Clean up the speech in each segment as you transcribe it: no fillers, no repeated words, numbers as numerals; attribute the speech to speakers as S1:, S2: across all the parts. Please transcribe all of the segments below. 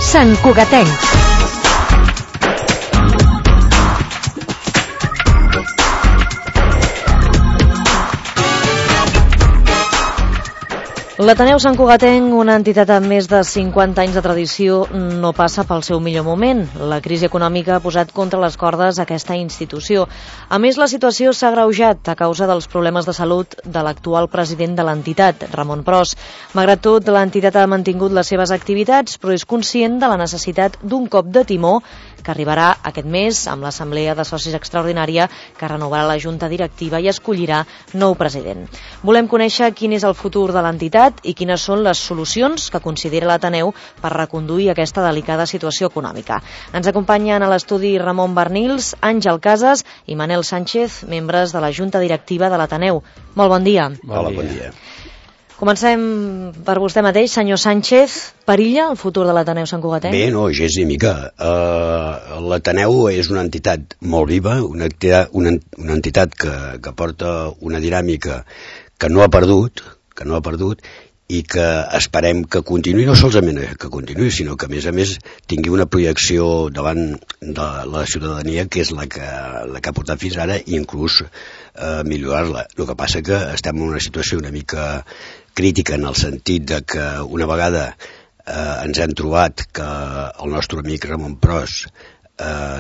S1: Sant Cugatenc. L'Ateneu Sant Cugatenc, una entitat amb més de 50 anys de tradició, no passa pel seu millor moment. La crisi econòmica ha posat contra les cordes aquesta institució. A més, la situació s'ha agreujat a causa dels problemes de salut de l'actual president de l'entitat, Ramon Pros. Malgrat tot, l'entitat ha mantingut les seves activitats, però és conscient de la necessitat d'un cop de timó que arribarà aquest mes amb l'Assemblea de Socis Extraordinària que renovarà la Junta Directiva i escollirà nou president. Volem conèixer quin és el futur de l'entitat i quines són les solucions que considera l'Ateneu per reconduir aquesta delicada situació econòmica. Ens acompanyen a l'estudi Ramon Barnils, Àngel Casas i Manel Sánchez, membres de la Junta Directiva de l'Ateneu. Molt bon dia.
S2: Hola, bon dia.
S1: Comencem per vostè mateix, senyor Sánchez. Perilla el futur de l'Ateneu Sant Cugatenc?
S2: Bé, no, gens ni mica. L'Ateneu és una entitat molt viva, una entitat que porta una dinàmica que no ha perdut i que esperem que continuï, no solament que continuï, sinó que a més tingui una projecció davant de la ciutadania que és la que ha portat fins ara i inclús millorar-la. El que passa que estem en una situació una mica crítica en el sentit de que una vegada ens hem trobat que el nostre amic Ramon Pros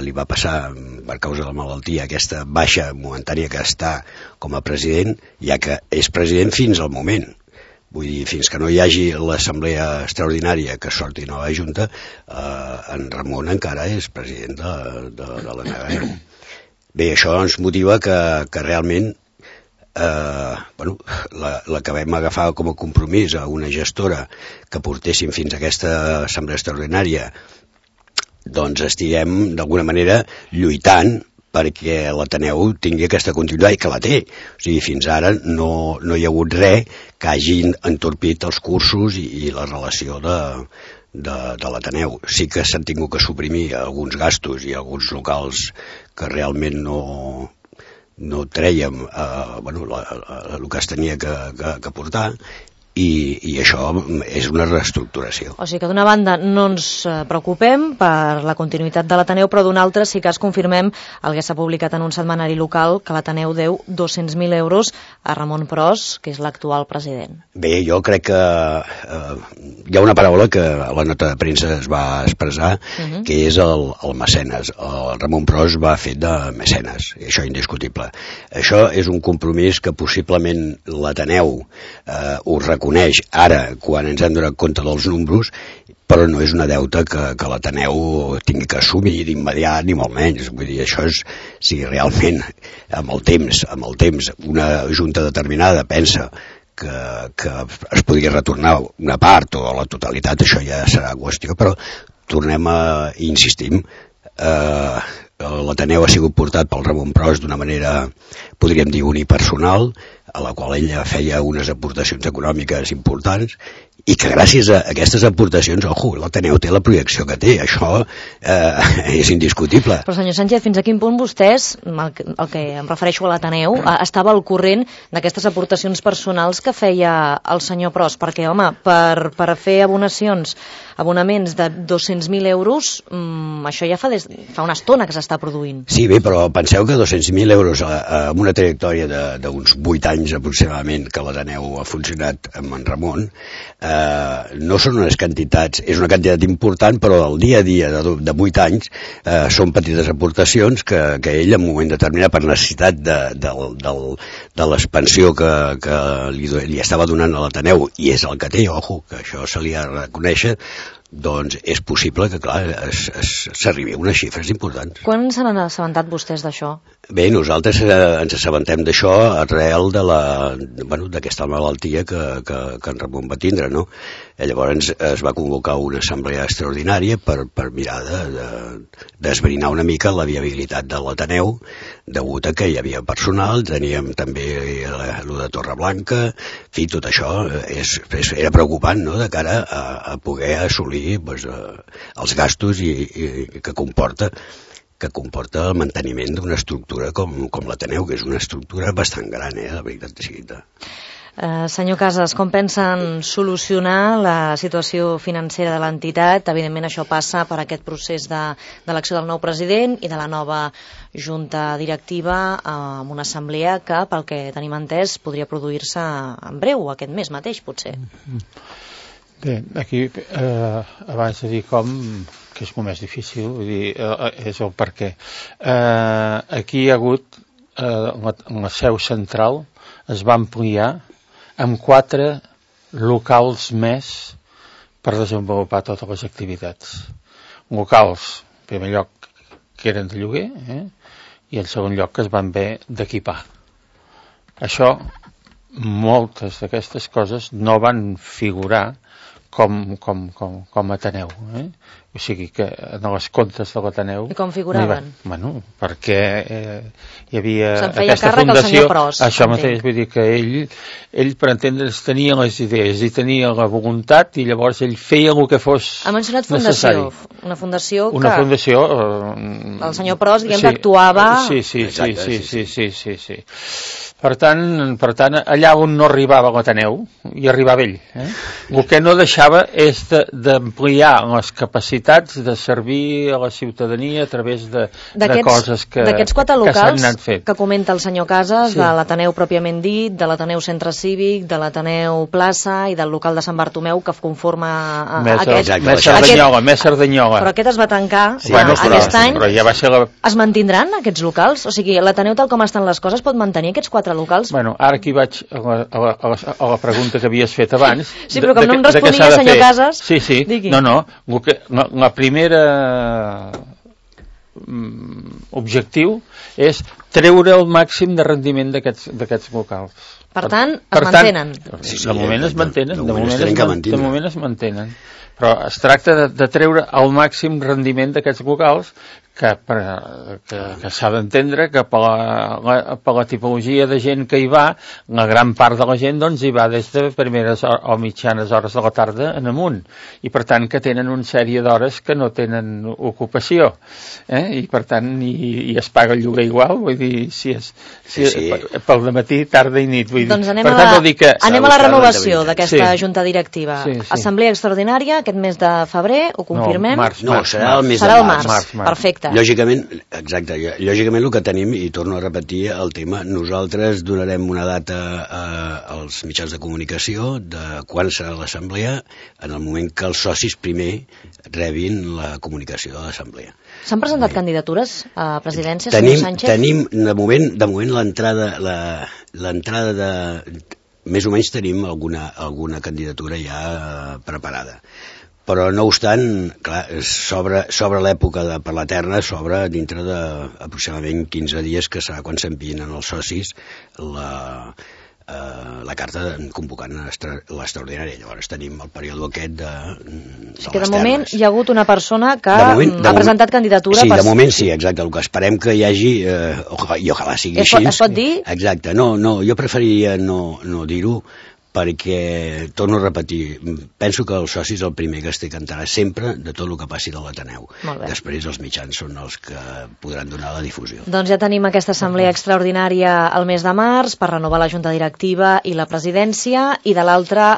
S2: li va passar per causa de la malaltia aquesta baixa momentània que està com a president, ja que és president fins al moment. Vull dir, fins que no hi hagi l'assemblea extraordinària que sorti nova junta, en Ramon encara és president de l'Ateneu. Bé, això ens motiva que realment l'acabem agafar com a compromís a una gestora que portéssim fins a aquesta assemblea extraordinària, doncs estiguem d'alguna manera lluitant perquè l'Ateneu tingui aquesta continuïtat i que la té. O sigui, fins ara no hi ha hagut res que hagin entorpit els cursos i la relació de l'Ateneu. Sí que s'han tingut que suprimir alguns gastos i alguns locals que realment no trèiem el que es tenia que portar, i això és una reestructuració.
S1: O sigui que d'una banda no ens preocupem per la continuïtat de l'Ateneu, però d'una altra sí que es confirmem el que s'ha publicat en un setmanari local, que l'Ateneu deu 200.000 euros a Ramon Pros, que és l'actual president.
S2: Bé, jo crec que hi ha una paraula que a la nota de premsa es va expressar, que és el mecenes. El Ramon Pros va fet de mecenes, i això és indiscutible. Això és un compromís que possiblement l'Ateneu ho reconeix ara, quan ens hem donat compte dels números, però no és una deuta que l'Ateneu tingui que assumir d'immediat, ni molt menys. Vull dir, això és, si realment amb el temps una junta determinada pensa que es podria retornar una part o la totalitat, això ja serà qüestió, però tornem a insistir. L'Ateneu ha sigut portat pel Ramon Pros d'una manera, podríem dir, unipersonal, a la qual ella feia unes aportacions econòmiques importants i que gràcies a aquestes aportacions, l'Ateneu té la projecció que té, això és indiscutible.
S1: Però senyor Sánchez, fins a quin punt vostès, el que em refereixo a l'Ateneu, estava al corrent d'aquestes aportacions personals que feia el senyor Pros? Perquè, home, per fer abonaments de 200.000 euros, això ja fa una estona que s'està produint.
S2: Sí, bé, però penseu que 200.000 euros amb una trajectòria d'uns 8 anys aproximadament que l'Ateneu ha funcionat amb en Ramon, no són unes quantitats, és una quantitat important, però el dia a dia de 8 anys són petites aportacions que ell en un moment determinat, per necessitat de l'expansió que li estava donant a l'Ateneu, i és el que té, que això se li ha de reconèixer, doncs és possible que, clar, s'arribi a unes xifres importants.
S1: Quan se n'han assabentat vostès d'això?
S2: Bé, nosaltres ens assabentem d'això arrel d'aquesta malaltia que en Ramon va tindre, no? Llavors es va convocar una assemblea extraordinària per mirar d'esbrinar una mica la viabilitat de l'Ateneu, degut a que hi havia personal, teníem també el de Torreblanca, en fi, tot això era preocupant, no?, de cara a poder assolir els gastos que comporta el manteniment d'una estructura com l'Ateneu, que és una estructura bastant gran, la veritat és que...
S1: Senyor Casas, com pensen solucionar la situació financera de l'entitat? Evidentment això passa per aquest procés d'elecció del nou president i de la nova junta directiva amb una assemblea que, pel que tenim entès, podria produir-se en breu, aquest mes mateix, potser.
S3: Bé, aquí, abans de dir com, que és molt més difícil, vull dir, és el per què. Aquí hi ha hagut, la seu central es va ampliar amb 4 locals més per desenvolupar totes les activitats. Locals, en primer lloc, que eren de lloguer, i en segon lloc que es van haver d'equipar. Això, moltes d'aquestes coses no van figurar com Ateneu. O sigui que en els comptes de l'Ateneu...
S1: I com figuraven?
S3: Bueno, perquè hi havia
S1: aquesta fundació... Pros,
S3: això mateix, vull dir que ell per entendre's, tenia les idees i tenia la voluntat i llavors ell feia el que fos necessari.
S1: Ha mencionat fundació, una fundació que...
S3: Una fundació...
S1: El senyor Pros, diguem que actuava...
S3: Sí. Per tant, allà on no arribava l'Ateneu, hi arribava ell. El que no deixava és d'ampliar les capacitats de servir a la ciutadania a través de coses que s'han anat fent.
S1: Que comenta el senyor Casas, de l'Ateneu pròpiament dit, de l'Ateneu Centre Cívic, de l'Ateneu Plaça i del local de Sant Bartomeu, que conforma aquest...
S3: Més Cerdanyola.
S1: Però aquest es va tancar aquest any.
S3: Però ja va ser
S1: Es mantindran aquests locals? O sigui, l'Ateneu, tal com estan les coses, pot mantenir aquests 4 locals?
S3: Bueno, ara aquí vaig a la pregunta que havies fet abans.
S1: Sí, però com no em responia, senyor Casas...
S3: Sí. No. La primera objectiu és treure el màxim de rendiment d'aquests locals.
S1: Per tant, es mantenen.
S3: De moment es mantenen. De moment es mantenen. Però es tracta de treure el màxim rendiment d'aquests locals que s'ha d'entendre que per la tipologia de gent que hi va, la gran part de la gent doncs hi va des de primeres o mitjanes hores de la tarda en amunt, i per tant que tenen una sèrie d'hores que no tenen ocupació, i per tant i es paga el lloguer igual, vull dir, si pel dematí, tarda i nit, vull dir.
S1: Doncs anem a la renovació d'aquesta junta directiva. Assemblea extraordinària aquest mes de febrer, ho confirmem?
S2: No, serà el mes
S1: de març. Perfecte.
S2: Lògicament el que tenim, i torno a repetir el tema, nosaltres donarem una data als mitjans de comunicació de quan serà l'assemblea en el moment que els socis primer rebin la comunicació de l'assemblea.
S1: S'han presentat candidatures a presidència, senyor Sánchez?
S2: Tenim, de moment l'entrada de... Més o menys tenim alguna candidatura ja preparada. Però no obstant, clar, s'obre l'època per la terna, s'obre dintre d'aproximadament 15 dies, que serà quan s'envien els socis la carta convocant l'extraordinària. Llavors tenim el període aquest de les
S1: de moment hi ha hagut una persona que ha presentat candidatura.
S2: Sí, de moment sí, exacte. El que esperem que hi hagi, i ojalà sigui així.
S1: Es pot dir?
S2: Exacte. No, jo preferiria no dir-ho, perquè, torno a repetir, penso que els socis el primer que es té que enterar sempre de tot el que passi de l'Ateneu. Després els mitjans són els que podran donar la difusió.
S1: Doncs ja tenim aquesta assemblea extraordinària al mes de març per renovar la junta directiva i la presidència, i de l'altra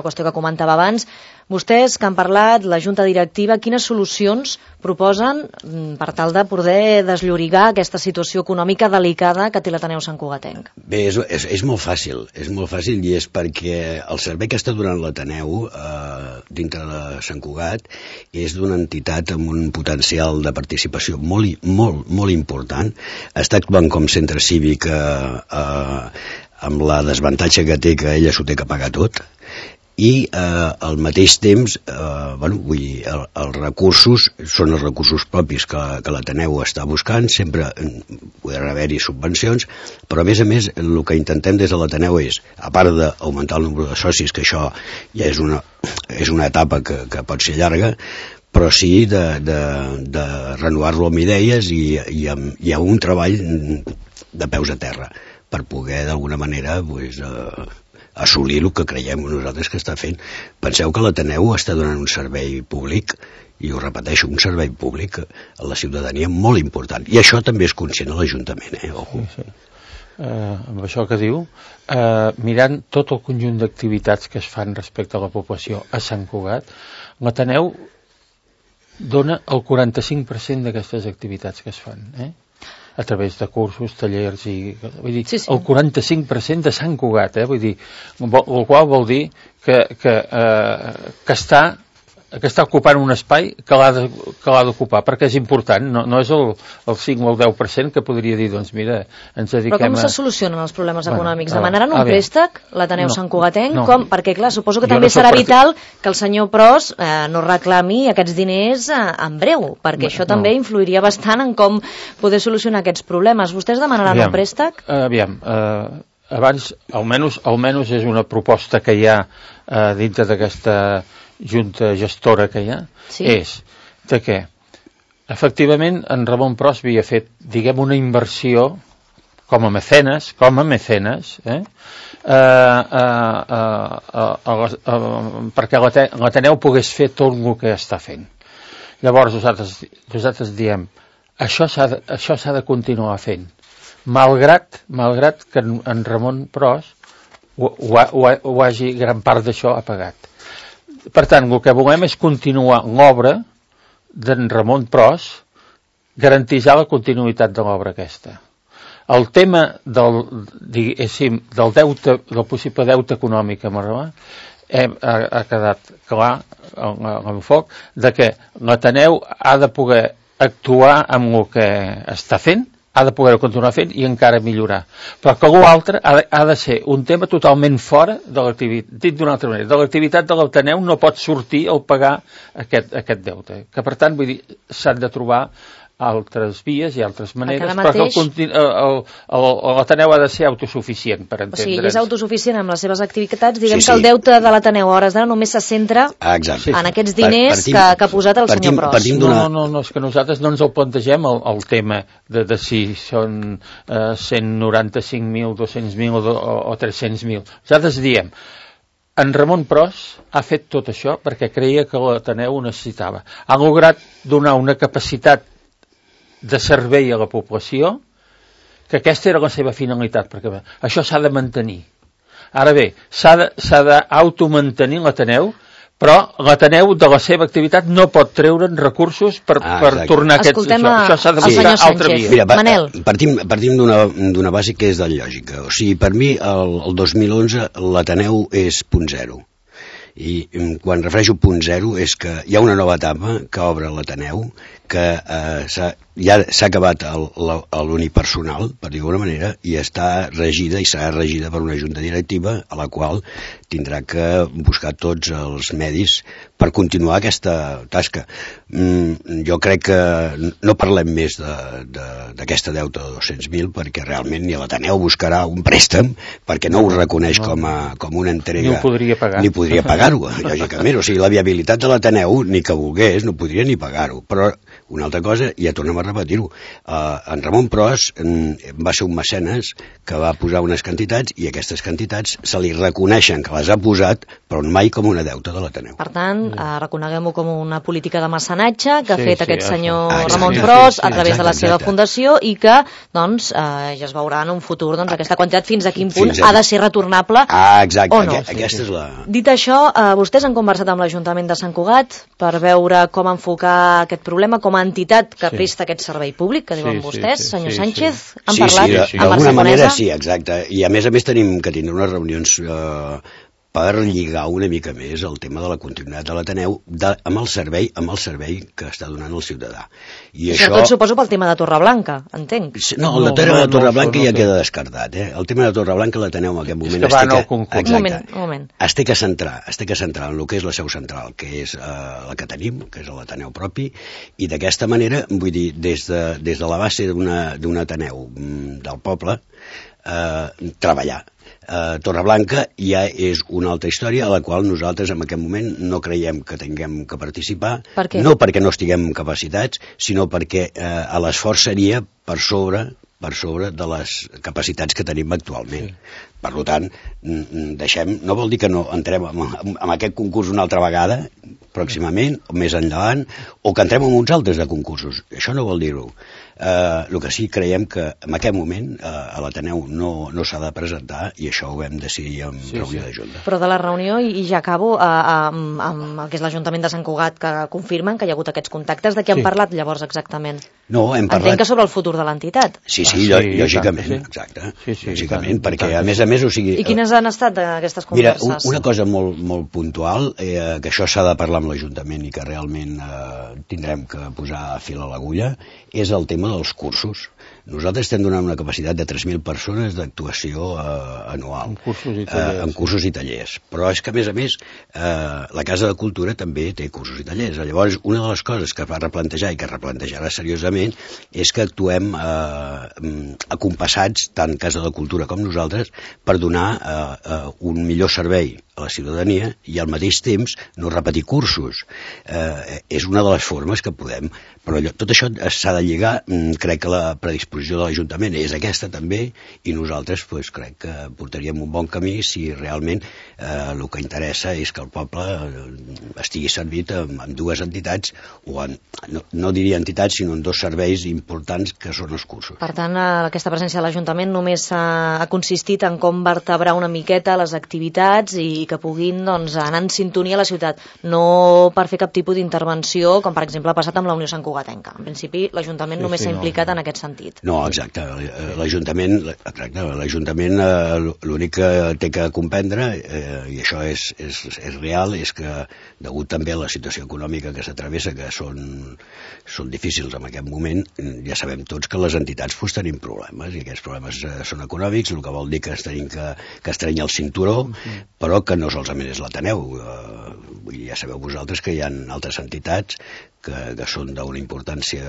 S1: qüestió que comentava abans, vostès que han parlat, la junta directiva, quines solucions proposen per tal de poder desllorigar aquesta situació econòmica delicada que té l'Ateneu Santcugatenc?
S2: Bé, és molt fàcil, i és perquè el servei que està donant l'Ateneu dintre de Sant Cugat és d'una entitat amb un potencial de participació molt important. Està actuant com centre cívic amb la desavantatge que té que ella s'ho té que pagar tot, i al mateix temps els recursos són els recursos propis que l'Ateneu està buscant. Sempre podran haver-hi subvencions, però a més el que intentem des de l'Ateneu és, a part d'augmentar el nombre de socis, que això ja és una etapa que pot ser llarga, però sí de renovar-lo amb idees i amb un treball de peus a terra per poder d'alguna manera assolir el que creiem nosaltres que està fent. Penseu que l'Ateneu està donant un servei públic, i ho repeteixo, un servei públic a la ciutadania molt important, i això també és conscient a l'Ajuntament.
S3: Sí. amb això que diu, mirant tot el conjunt d'activitats que es fan respecte a la població a Sant Cugat, l'Ateneu dona el 45% d'aquestes activitats que es fan, a través de cursos, tallers vull dir, el 45% de Sant Cugat, vull dir, el qual vol dir que està ocupant un espai que l'ha d'ocupar, perquè és important, no és el 5 o el 10% que podria dir, doncs mira, ens dediquem a...
S1: Però com se solucionen els problemes econòmics? Demanaran un préstec, l'Ateneu Sant Cugatenc? Perquè, clar, suposo que també serà vital que el senyor Pros no reclami aquests diners en breu, perquè això també influiria bastant en com poder solucionar aquests problemes. Vostès demanaran un préstec?
S3: Aviam, abans, almenys és una proposta que hi ha dintre d'aquesta junta gestora que hi ha, és de que efectivament en Ramon Pros havia fet, diguem, una inversió com a mecenes, perquè l'Ateneu pogués fer tot el que està fent. Llavors nosaltres diem, això s'ha de continuar fent, malgrat que en Ramon Pros ho hagi, gran part d'això ha pagat. Per tant, el que volem és continuar l'obra d'en Ramon Pros, garantitzar la continuïtat de l'obra aquesta. El tema del possible deute econòmic amb Ramon ha quedat clar l'enfoc de que l'Ateneu ha de poder actuar amb el que està fent, ha de poder continuar fent i encara millorar. Però que l'altre ha de ser un tema totalment fora de l'activitat, dit d'una altra manera, de l'activitat de l'Ateneu no pot sortir el pagar aquest deute. Que per tant, vull dir, s'han de trobar altres vies i altres maneres, però que l'Ateneu ha de ser autosuficient, per entendre'ns.
S1: O sigui, és autosuficient amb les seves activitats, diguem que el deute de l'Ateneu a hores d'ara només se centra en aquests diners que ha posat el senyor Pros.
S3: No, és que nosaltres no ens el plantegem el tema de si són 195.000, 200.000 o 300.000. Nosaltres diem, en Ramon Pros ha fet tot això perquè creia que l'Ateneu ho necessitava. Ha lograt donar una capacitat de servei a la població, que aquesta era la seva finalitat, perquè això s'ha de mantenir. Ara bé, s'ha d'automantenir l'Ateneu, però l'Ateneu de la seva activitat no pot treure'n recursos per tornar aquest... Això s'ha de buscar altra via.
S2: Mira, partim d'una base que és de lògica. O sigui, per mi, el 2011 l'Ateneu és punt zero. I quan refereixo punt zero és que hi ha una nova etapa que obre l'Ateneu, que ja s'ha acabat l'unipersonal, per dir-ho d'alguna manera, i està regida i serà regida per una junta directiva a la qual tindrà que buscar tots els medis per continuar aquesta tasca. Jo crec que no parlem més d'aquesta deuta de 200.000 perquè realment ni l'Ateneu buscarà un préstec perquè no ho reconeix com una entrega. Ni podria pagar-ho, lògicament. O sigui, la viabilitat de l'Ateneu, ni que volgués, no podria ni pagar-ho. Però una altra cosa, ja tornem a repetir-ho, en Ramon Pros va ser un mecenes que va posar unes quantitats i aquestes quantitats se li reconeixen que les ha posat, però mai com una deuta de l'Ateneu.
S1: Per tant, reconeguem-ho com una política de mecenatge que ha fet aquest senyor Ramon Pros a través de la seva fundació i que, doncs, ja es veurà en un futur aquesta quantitat fins a quin punt ha de ser retornable o no.
S2: Aquesta és la...
S1: Dit això, vostès han conversat amb l'Ajuntament de Sant Cugat per veure com enfocar aquest problema com a entitat que presta aquest servei públic, que diuen vostès, senyor Sánchez, han parlat amb
S2: d'alguna manera sí, exacte, i a més tenim que tindre unes reunions per lligar una mica més el tema de la continuïtat de l'Ateneu amb el servei que està donant el ciutadà. I
S1: això tot suposo pel tema de Torreblanca, entenc.
S2: No, el tema de Torreblanca ja queda descartat. El tema de Torreblanca l'Ateneu en aquest moment
S1: un moment.
S2: Es té que centrar en el que és la seu central, que és la que tenim, que és l'Ateneu propi, i d'aquesta manera, vull dir, des de la base d'un Ateneu del poble, treballar. Torreblanca ja és una altra història a la qual nosaltres en aquest moment no creiem que tinguem que participar, no perquè no estiguem capacitats, sinó perquè l'esforç seria per sobre de les capacitats que tenim actualment. Per tant, no vol dir que no entrem en aquest concurs una altra vegada, pròximament, o més endavant, o que entrem en uns altres de concursos. Això no vol dir-ho. El que sí creiem que en aquest moment a l'Ateneu no s'ha de presentar, i això ho vam decidir en reunió de Junta.
S1: Però de la reunió, i ja acabo, amb el que és l'Ajuntament de Sant Cugat, que confirmen que hi ha hagut aquests contactes, de què han parlat llavors exactament?
S2: No, hem parlat...
S1: Entenc que sobre el futur de l'entitat.
S2: Sí, lògicament, exacte. Lògicament, perquè a més, o sigui...
S1: I quines han estat aquestes converses?
S2: Mira, una cosa molt puntual, que això s'ha de parlar amb l'Ajuntament i que realment tindrem que posar fil a l'agulla, és el tema dels cursos. Nosaltres estem donant una capacitat de 3.000 persones d'actuació anual. En cursos i tallers. Però és que, a més, la Casa de Cultura també té cursos i tallers. Llavors, una de les coses que va replantejar i que replantejarà seriosament és que actuem acompassats, tant Casa de Cultura com nosaltres, per donar un millor servei a la ciutadania i al mateix temps no repetir cursos. És una de les formes que podem, però tot això s'ha de lligar. Crec que la predisposició de l'Ajuntament és aquesta també, i nosaltres crec que portaríem un bon camí si realment el que interessa és que el poble estigui servit amb dues entitats, o no diria entitats, sinó en dos serveis importants que són els cursos.
S1: Per tant, aquesta presència de l'Ajuntament només ha consistit en com vertebrar una miqueta les activitats i que puguin anar en sintonia a la ciutat, no per fer cap tipus d'intervenció, com per exemple ha passat amb la Unió Sant Cugatenca. En principi, l'Ajuntament només s'ha implicat en aquest sentit.
S2: No, exacte. L'Ajuntament l'únic que té que comprendre, i això és real, és que degut també a la situació econòmica que s'atravessa, que són difícils en aquest moment, ja sabem tots que les entitats tenim problemes, i aquests problemes són econòmics, el que vol dir que es tenim que estreny el cinturó, però que no solament és l'Ateneu. Ja sabeu vosaltres que hi ha altres entitats que són d'una importància,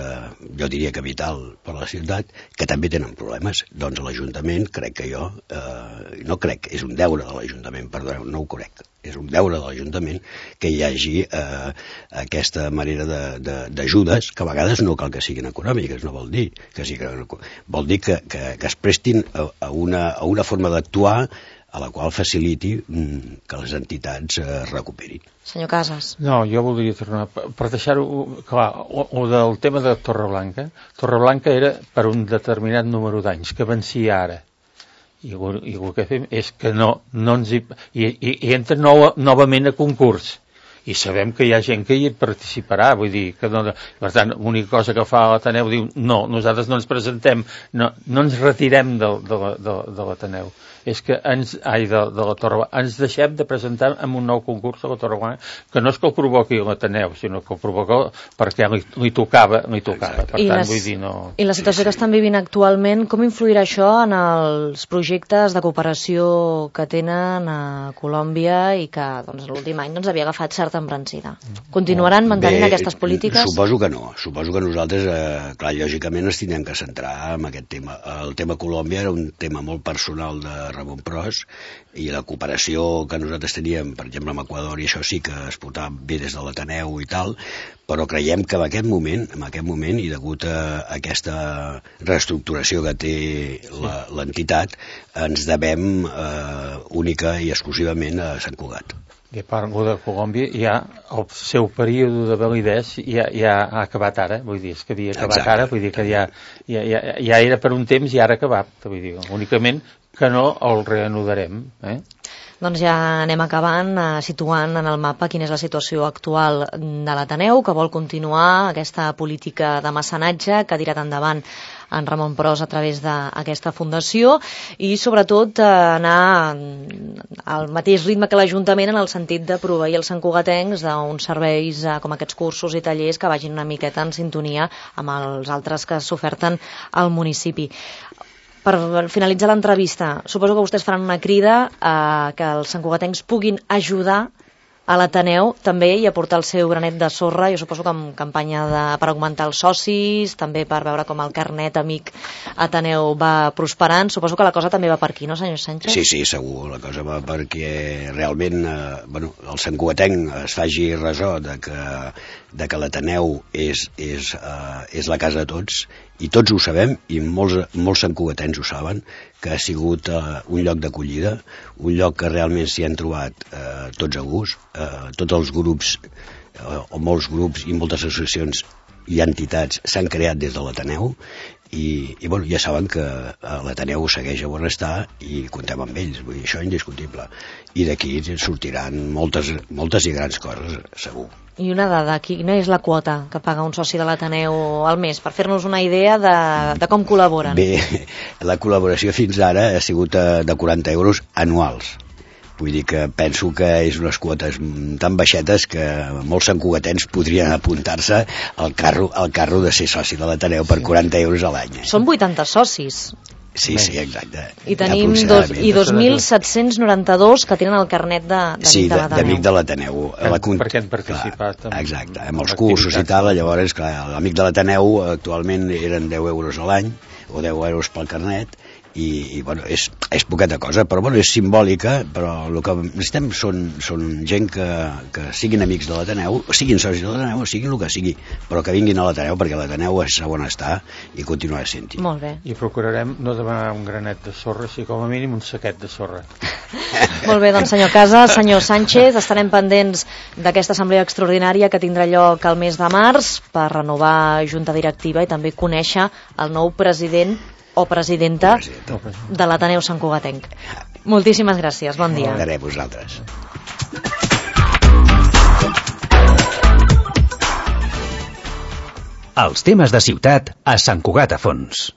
S2: jo diria que vital per a la ciutat, que també tenen problemes. Doncs l'Ajuntament, crec que no crec, és un deure de l'Ajuntament, perdoneu, no ho crec, és un deure de l'Ajuntament que hi hagi aquesta manera d'ajudes, que a vegades no cal que siguin econòmiques, no vol dir que siguin, vol dir que es prestin a una forma d'actuar a la qual faciliti que les entitats es recuperin.
S1: Senyor Casas.
S3: No, jo voldria tornar, per deixar-ho clar, o del tema de Torreblanca. Torreblanca era per un determinat número d'anys, que vencia ara. I el que fem és que no ens hi entra novament a concurs. I sabem que hi ha gent que hi participarà, vull dir, que no, per tant, l'única cosa que fa l'Ateneu diu, no, nosaltres no ens presentem, no ens retirem de l'Ateneu. És que de la Torreblanca, ens deixem de presentar en un nou concurs a la Torreblanca, que no és que el provoqui l'Ateneu, sinó que el provoca perquè li tocava. Per tant, vull dir, no...
S1: I la situació que estan vivint actualment, com influirà això en els projectes de cooperació que tenen a Colòmbia i que l'últim any havia agafat certa embranzida? Continuaran mantenint aquestes polítiques?
S2: Suposo que no. Suposo que nosaltres, clar, lògicament ens tindrem que centrar en aquest tema. El tema Colòmbia era un tema molt personal de Ramon Pros, i la cooperació que nosaltres teníem, per exemple, amb Equador, i això sí que es portava bé des de l'Ateneu i tal, però creiem que en aquest moment, i degut a aquesta reestructuració que té l'entitat, ens devem única i exclusivament a Sant Cugat.
S3: I a part de Colòmbia, ja el seu període de validesa ja ha acabat ara, vull dir, és que havia acabat ara, vull dir que ja era per un temps i ara ha acabat, vull dir, únicament que no el reanudarem.
S1: Doncs ja anem acabant, situant en el mapa quina és la situació actual de l'Ateneu, que vol continuar aquesta política de mecenatge que ha tirat endavant en Ramon Pros a través d'aquesta fundació, i sobretot anar al mateix ritme que l'Ajuntament en el sentit de proveir els santcugatencs d'uns serveis com aquests cursos i tallers que vagin una miqueta en sintonia amb els altres que s'oferten al municipi. Per finalitzar l'entrevista, suposo que vostès faran una crida que els santcugatencs puguin ajudar a l'Ateneu també i aportar el seu granet de sorra, jo suposo que amb campanya per augmentar els socis, també per veure com el carnet amic Ateneu va prosperant. Suposo que la cosa també va per aquí, no, senyor Sánchez?
S2: Sí, segur, la cosa va perquè realment el santcugatenc es faci ressò de que l'Ateneu és la casa de tots, i tots ho sabem, i molts santcugatencs ho saben, que ha sigut un lloc d'acollida, un lloc que realment s'hi han trobat tots a gust, tots els grups, o molts grups i moltes associacions i entitats s'han creat des de l'Ateneu i bueno, ja saben que l'Ateneu segueix a Bonestar i comptem amb ells, vull dir, això és indiscutible. I d'aquí sortiran moltes i grans coses, segur.
S1: I una dada, quina és la quota que paga un soci de l'Ateneu al mes, per fer-nos una idea de com col·laboren?
S2: Bé, la col·laboració fins ara ha sigut de 40 euros anuals. Vull dir que penso que és unes quotes tan baixetes que molts santcugatens podrien apuntar-se al carro de ser soci de l'Ateneu per 40 euros a l'any.
S1: Són 80 socis.
S2: Sí, exacte.
S1: I tenim 2.792 que tenen el carnet d'amic de l'Ateneu. Sí, d'amic
S2: de l'Ateneu.
S3: Perquè han participat.
S2: Exacte, amb els cursos i tal, llavors, clar, l'amic de l'Ateneu actualment eren 10 euros a l'any, o 10 euros pel carnet, i bueno, és poqueta cosa, però bueno, és simbòlica, però el que necessitem són gent que siguin amics de l'Ateneu, siguin socis de l'Ateneu, siguin el que sigui, però que vinguin a l'Ateneu, perquè l'Ateneu és on està i continuarà sent-hi.
S1: Molt bé.
S3: I procurarem no demanar un granet de sorra, sinó com a mínim un saquet de sorra.
S1: Molt bé, doncs senyor Casas, senyor Sánchez, estarem pendents d'aquesta assemblea extraordinària que tindrà lloc al mes de març per renovar junta directiva i també conèixer el nou president o presidenta de l'Ateneu Santcugatenc. Moltíssimes gràcies, bon dia.
S2: Molt bé, vosaltres.
S4: Els temes de ciutat a Sant Cugat a Fons.